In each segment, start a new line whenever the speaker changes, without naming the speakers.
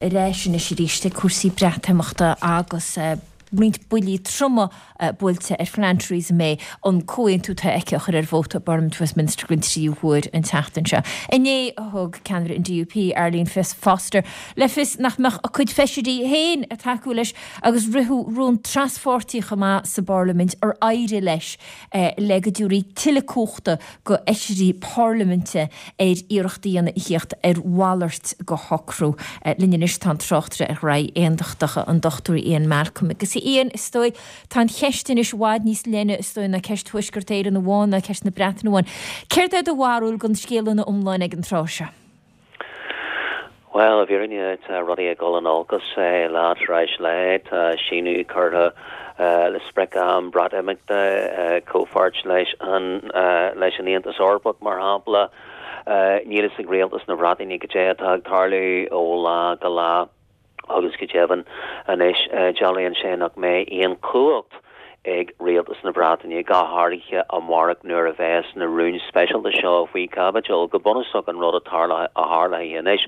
Ar ais anois arís ag cúrsaí Breatimeachta agus roinnt buillí troma buailte ar phlean Theresa May an comhaontú atá aici a chur ar vóta i bParlaimint Westminster den tríú huair an tseachtain seo. Inné thug ceannaire an DUP, Arlene Foster, le fios nach mbeadh a cuid feisirí féin ag tacú leis agus ritheadh rún traspháirtí chomh maith sa bParlaimint ar éirigh leis le go dtabharfaí tuilleadh cumhachta go fheisirí parlaiminte ar iarracht a dhéanamh a thíocht ar mhalairt go shocrú. Linn anois tá an tráchtaire ar ghraithí aontachtacha, an Dr Ian Malcolm. Agus a Ian, is dóigh, tá an cheist anois i bhfad níos leithne, is dóigh, ná ceist Thuaisceart Éireann amháin, ná ceist na Breataine amháin. Céard é do bharúil den scéal ina iomláine ag an tráth seo?
Bhuel, i bhfírinne, tá rudaí ag dul in olcas lá tar éis lae. Tá síneadh curtha le sprioc-am Breatimeachta, comhpháirt leis an leis an Aontas Eorpach, mar shampla. Níl fhios ag rialtas na Breataine cad é atá ag tarlú ó lá go lá. Agus go deimhin anois, dealraíonn sé nach mbeidh aon chumhacht ag rialtas na Breataine, go háirithe amárach nuair a bheas na rúin speisialta seo faoi chaibidil. Go bunúsach an rud a tharlóidh anois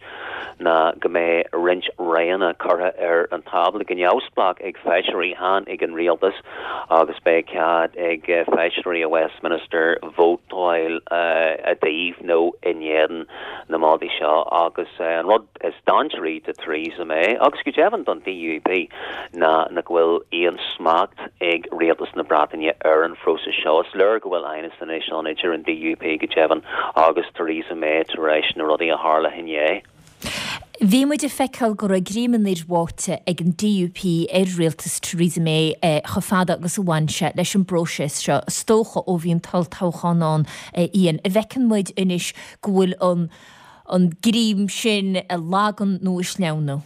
ná go mbeidh roinnt roghanna curtha ar an tábla go neamhspleách ag feisirí, chan ag an rialtas, agus beidh cead ag feisirí i Westminster vótáil i dtaobh nó in éadan na moltaí seo. Agus an rud. is dainséaraí do Theresa May, agus go deimhin don DUP, ná nach bhfuil aon smacht ag rialtas na Breataine ar an phróiseas seo. Is léir go bhfuil aighneas anois ann idir an DUP go deimhin agus Theresa May tar éis na rudaí a tharla inné.
Bhí muid ag feiceáil go raibh greim an fhir bháite ag an DUP ar rialtas Theresa May chomh fada agus a bhain sé leis an bpróiseas seo, is dócha ó bhí an t-olltoghchán ann, Ian. An bhfeiceann muid anois go bhfuil an an greim sin ag lagú nó ag sleamhnú?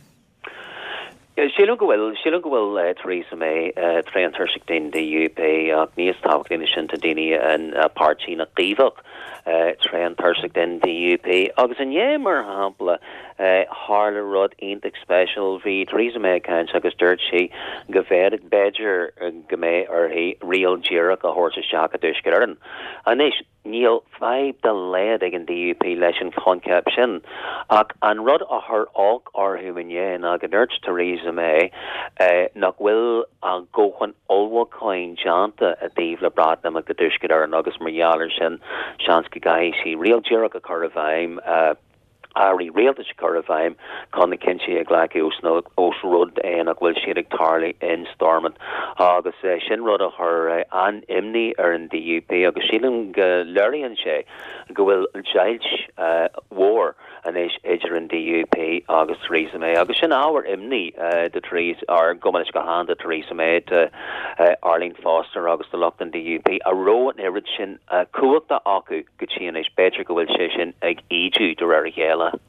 Sílim go bhfuil. Sílim go bhfuil Theresa May tréan tuirseach den DUP ach níos tábhachtaí ná sin tá daoine ina páirtí na gCaomhach tréan tuirseach den DUP. Agus inné, mar shampla, tharla rud iontach speisialta. Bhí Theresa May ag caint agus dúirt sí go bhféadfadh, b'fhéidir go mbeidh uirthi riail díreach a thabhairt isteach i dTuaisceart Éireann. Anois, Níl fadhb dá laghad ag an DUP leis an choincheap sin, ach an rud a chuir olc orthu inné ná go ndúirt Theresa May nach bhfuil a dóthain ullmhúcháin déanta i dtaobh le Breatimeacht i dTuaisceart Éireann agus mar gheall air sin seans go gcaithfidh sí riail díreach a chur i bhfeidhm. airí rialtais a chur i bhfeidhm chun na cinntí a ghlacadh ós rud é nach bhfuil siad ag tarlú in Stormont agus sin rud a chuir an-imní ar an DUP agus sílim go léiríonn sé go bhfuil deighilt mhór anois idir an DUP agus Theresa May agus sin ábhar imní do Theresa, or gabh mo leithscéal chan do Theresa May, do Arlene Foster agus do lucht an DUP a raibh an oiread sin cumhachta acu. go dtí anois. B'fhéidir go bhfuil sé sin ag ídiú de réir a chéile.